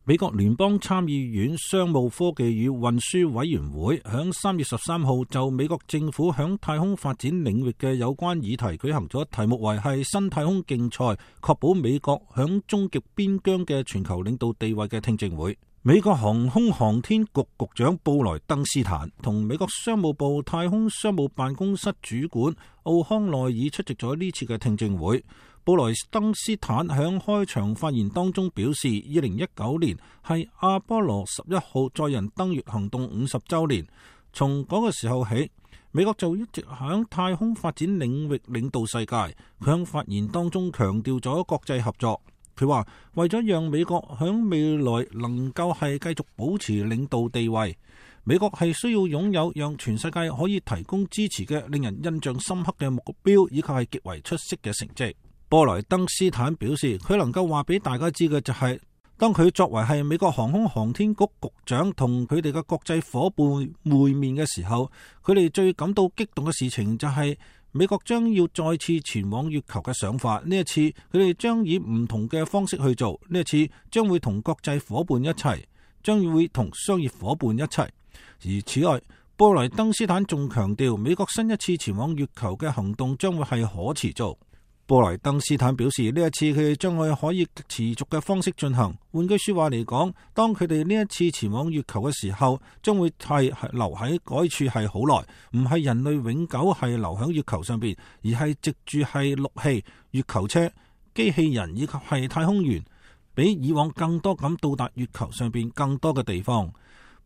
美國聯邦參議院商務科技與運輸委員會響3月13號就美國政府響太空發展領域嘅有關議題舉行咗題目為係新太空競賽，確保美國響終極邊疆嘅全球領導地位嘅聽證會。美國航空航天局局長布萊登斯坦同美國商務部太空商務辦公室主管奧康內爾出席咗呢次嘅聽證會。布萊登斯坦響開場發言當中表示，2019年係阿波羅11號載人登月行動50週年，從嗰個時候起，美國就一直響太空發展領域領導世界。佢響發言當中強調咗國際合作。佢話為咗讓美國響未來能夠係繼續保持領導地位，美國係需要擁有讓全世界可以提供支持嘅令人印象深刻嘅目標，以及係極為出色嘅成績。布萊登斯坦表示，佢能夠話俾大家知嘅就係，當佢作為係美國航空航天局局長同佢哋嘅國際夥伴會面嘅時候，佢哋最感到激動嘅事情就係美國將要再次前往月球嘅想法。呢一次佢哋將以唔同嘅方式去做，呢一次將會同國際夥伴一齊，將會同商業夥伴一齊。而此外，布萊登斯坦仲強調，美國新一次前往月球嘅行動將會係可持續。布萊登斯坦表示，呢一次佢哋將會可以持續嘅方式進行。換句說話嚟講，當佢哋呢一次前往月球嘅時候，將會係留喺嗰處係好耐，唔係人類永久係留喺月球上邊，而係藉住係陸器、月球車、機器人以及係太空員，比以往更多咁到達月球上邊更多嘅地方。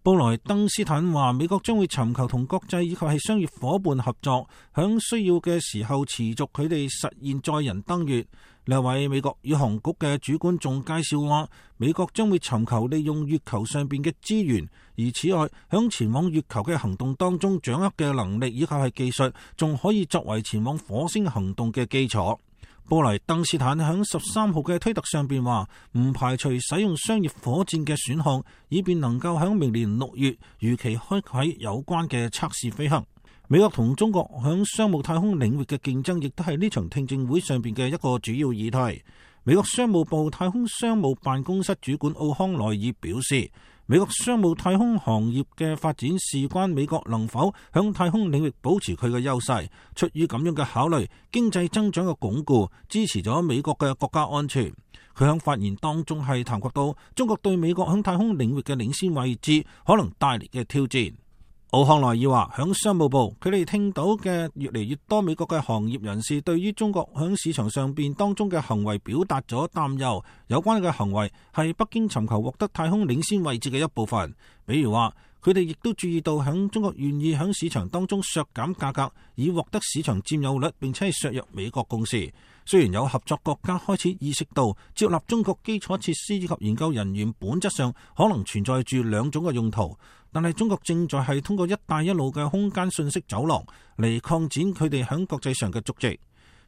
布萊登斯坦話，美國將會尋求同國際以及係商業夥伴合作，響需要嘅時候持續佢哋實現載人登月。另一位美國宇航局嘅主管仲介紹話，美國將會尋求利用月球上邊嘅資源，而此外響前往月球嘅行動當中掌握嘅能力以及係技術，仲可以作為前往火星行動嘅基礎。布萊登斯坦喺13號嘅推特上邊話，唔排除使用商業火箭嘅選項，以便能夠喺明年6月如期開啟有關嘅測試飛行。美國同中國喺商務太空領域嘅競爭，亦都係呢場聽證會上邊嘅一個主要議題。美國商務部太空商務辦公室主管奧康內爾表示，美國商務太空行業嘅發展事關美國能否響太空領域保持佢嘅優勢。出於咁樣嘅考慮，經濟增長嘅鞏固支持咗美國嘅國家安全。佢響發言當中係談及到中國對美國響太空領域嘅領先位置可能帶嚟嘅挑戰。奧康內爾話，響商務部佢哋聽到嘅越嚟越多美國嘅行業人士對於中國響市場上邊當中嘅行為表達咗擔憂，有關嘅行為係北京尋求獲得太空領先位置嘅一部分。比如話，佢哋亦都注意到響中國願意響市場當中削減價格，以獲得市場佔有率，並且係削弱美國公司。雖然有合作國家開始意識到接納中國基礎設施以及研究人員本質上可能存在住兩種嘅用途，但係中國正在係通過一帶一路嘅空間信息走廊嚟擴展佢哋喺國際上嘅足跡。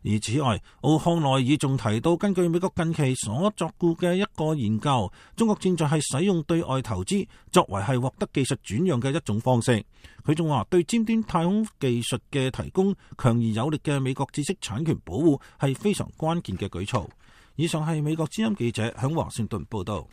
而此外，奧康內爾仲提到，根據美國近期所作顧嘅一個研究，中國正在係使用對外投資作為係獲得技術轉讓嘅一種方式。佢仲話，對尖端太空技術嘅提供強而有力嘅美國知識產權保護係非常關鍵嘅舉措。以上係美國之音記者響華盛頓報道。